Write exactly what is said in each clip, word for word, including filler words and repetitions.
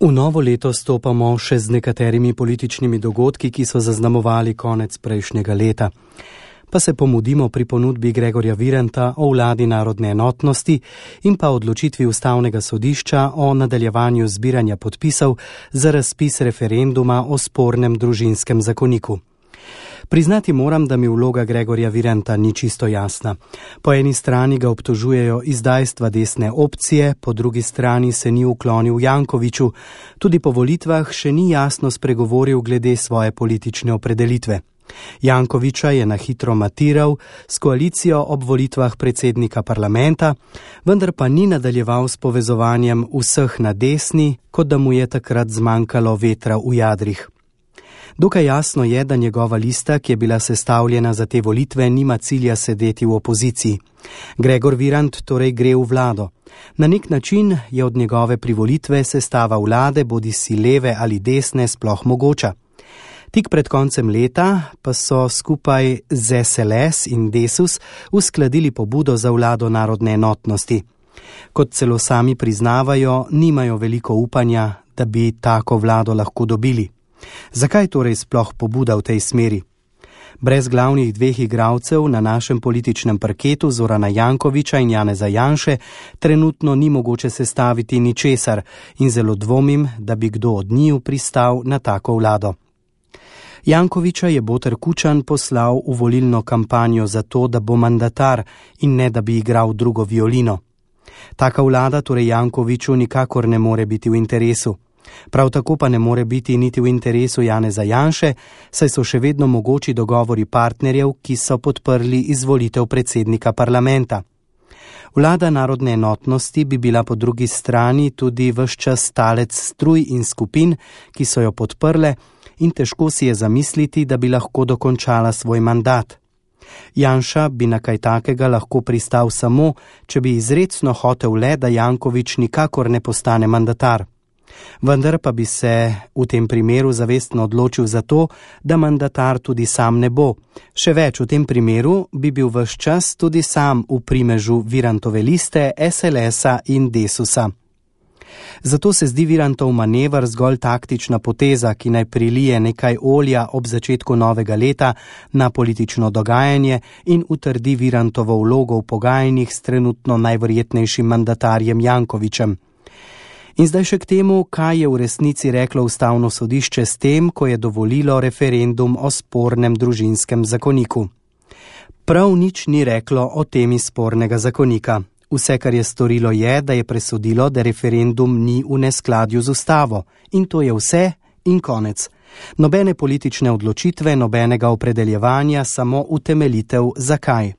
V novo leto stopamo še z nekaterimi političnimi dogodki, ki so zaznamovali konec prejšnjega leta. Pa se pomudimo pri ponudbi Gregorja Viranta o vladi narodne enotnosti in pa odločitvi Ustavnega sodišča o nadaljevanju zbiranja podpisov za razpis referenduma o spornem družinskem zakoniku. Priznati moram, da mi vloga Gregorja Viranta ni čisto jasna. Po eni strani ga obtožujejo izdajstva desne opcije, po drugi strani se ni uklonil Jankoviću, tudi po volitvah še ni jasno spregovoril glede svoje politične opredelitve. Jankovića je na hitro matiral s koalicijo ob volitvah predsednika parlamenta, vendar pa ni nadaljeval s povezovanjem vseh na desni, kot da mu je takrat zmanjkalo vetra v jadrih. Dokaj jasno je, da njegova lista, ki je bila sestavljena za te volitve, nima cilja sedeti v opoziciji. Gregor Virant torej gre v vlado. Na nek način je od njegove privolitve sestava vlade, bodisi leve ali desne, sploh mogoča. Tik pred koncem leta pa so skupaj z S L S in Desus uskladili pobudo za vlado narodne enotnosti. Kot celo sami priznavajo, nimajo veliko upanja, da bi tako vlado lahko dobili. Zakaj torej sploh pobuda v tej smeri? Brez glavnih dveh igralcev na našem političnem parketu, Zorana Jankovića in Janeza Janše, trenutno ni mogoče sestaviti ničesar in zelo dvomim, da bi kdo od njiju pristal na tako vlado. Jankovića je Boter Kučan poslal v volilno kampanjo zato, da bo mandatar in ne da bi igral drugo violino. Taka vlada torej Jankoviću nikakor ne more biti v interesu. Prav tako pa ne more biti niti v interesu Janeza Janše, saj so še vedno mogoči dogovori partnerjev, ki so podprli izvolitev predsednika parlamenta. Vlada narodne enotnosti bi bila po drugi strani tudi ves čas talec struj in skupin, ki so jo podprle, in težko si je zamisliti, da bi lahko dokončala svoj mandat. Janša bi na kaj takega lahko pristal samo, če bi izrecno hotel le, da Janković nikakor ne postane mandatar. Vendar pa bi se v tem primeru zavestno odločil za to, da mandatar tudi sam ne bo. Še več, v tem primeru bi bil ves čas tudi sam v primežu Virantove liste, S L S-a in Desusa. Zato se zdi Virantov manever zgolj taktična poteza, ki naj prilije nekaj olja ob začetku novega leta na politično dogajanje in utrdi Virantovo vlogo v pogajanjih s trenutno najverjetnejšim mandatarjem Jankovićem. In zdaj še k temu, kaj je v resnici reklo Ustavno sodišče s tem, ko je dovolilo referendum o spornem družinskem zakoniku. Prav nič ni reklo o temi spornega zakonika. Vse, kar je storilo, je, da je presodilo, da referendum ni v neskladju z ustavo. In to je vse in konec. Nobene politične odločitve, nobenega opredeljevanja, samo utemeljitev zakaj.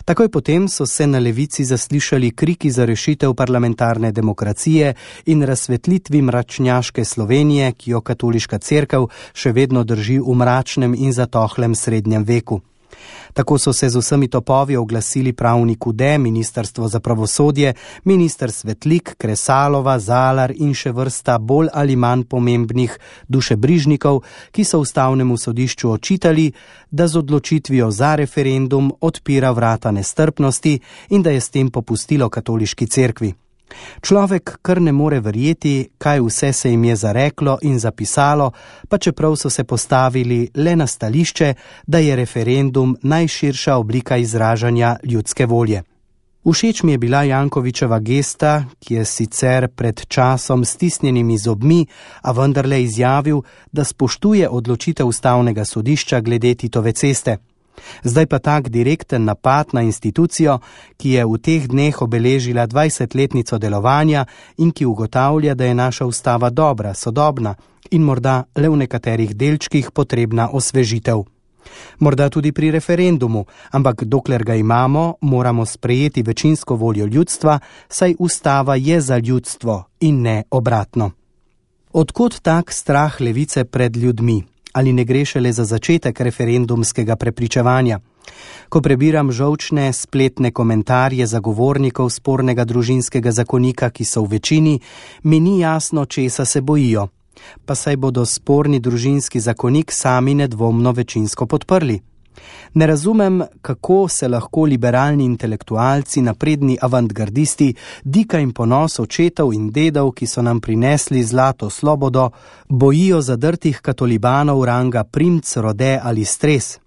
Takoj potem so se na levici zaslišali kriki za rešitev parlamentarne demokracije in razsvetlitvi mračnjaške Slovenije, ki jo katoliška cerkev še vedno drži v mračnem in zatohlem srednjem veku. Tako so se z vsemi topovi oglasili pravnik Ude, Ministrstvo za pravosodje, minister Svetlik, Kresalova, Zalar in še vrsta bolj ali manj pomembnih dušebrižnikov, ki so Ustavnemu sodišču očitali, da z odločitvijo za referendum odpira vrata nestrpnosti in da je s tem popustilo katoliški cerkvi. Človek kar ne more verjeti, kaj vse se jim je zareklo in zapisalo, pa čeprav so se postavili le na stališče, da je referendum najširša oblika izražanja ljudske volje. Všeč mi je bila Jankovićeva gesta, ki je sicer pred časom stisnjenimi zobmi, a vendarle izjavil, da spoštuje odločitev Ustavnega sodišča glede Titove ceste. Zdaj pa tak direkten napad na institucijo, ki je v teh dneh obeležila dvajsetletnico delovanja in ki ugotavlja, da je naša ustava dobra, sodobna in morda le v nekaterih delčkih potrebna osvežitev. Morda tudi pri referendumu, ampak dokler ga imamo, moramo sprejeti večinsko voljo ljudstva, saj ustava je za ljudstvo in ne obratno. Odkot tak strah levice pred ljudmi? Ali ne gre šele za začetek referendumskega prepričevanja? Ko prebiram žolčne spletne komentarje zagovornikov spornega družinskega zakonika, ki so v večini, mi ni jasno, česa se bojijo. Pa saj bodo sporni družinski zakonik sami nedvomno večinsko podprli. Ne razumem, kako se lahko liberalni intelektualci, napredni avantgardisti, dika in ponos očetov in dedov, ki so nam prinesli zlato slobodo, bojijo zadrtih katolibanov ranga primc, rode ali stres.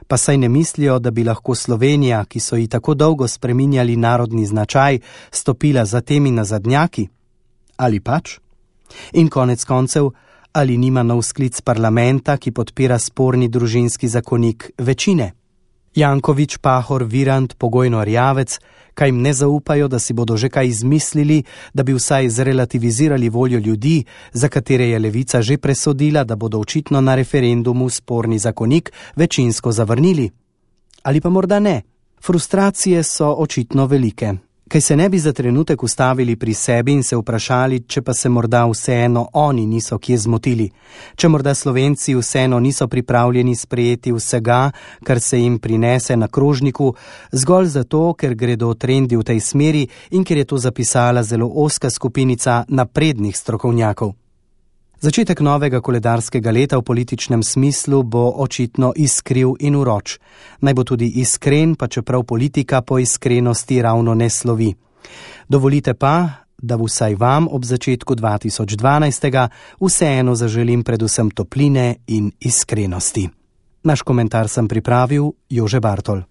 Pa saj ne mislijo, da bi lahko Slovenija, ki so ji tako dolgo spreminjali narodni značaj, stopila za temi nazadnjaki? Ali pač? In konec koncev, ali nima nov sklic parlamenta, ki podpira sporni družinski zakonik, večine? Janković, Pahor, Virant, Pogojno, Erjavec, kaj jim ne zaupajo, da si bodo že kaj izmislili, da bi vsaj zrelativizirali voljo ljudi, za katere je levica že presodila, da bodo očitno na referendumu sporni zakonik večinsko zavrnili? Ali pa morda ne? Frustracije so očitno velike. Kaj se ne bi za trenutek ustavili pri sebi in se vprašali, če pa se morda vseeno oni niso kje zmotili, če morda Slovenci vseeno niso pripravljeni sprejeti vsega, kar se jim prinese na krožniku, zgolj zato, ker gredo trendi v tej smeri in ker je to zapisala zelo ozka skupinica naprednih strokovnjakov. Začetek novega koledarskega leta v političnem smislu bo očitno iskriv in uroč. Naj bo tudi iskren, pa čeprav politika po iskrenosti ravno ne slovi. Dovolite pa, da vsaj vam ob začetku dva tisoč dvanajstega vseeno zaželim predvsem topline in iskrenosti. Naš komentar sem pripravil Jože Bartol.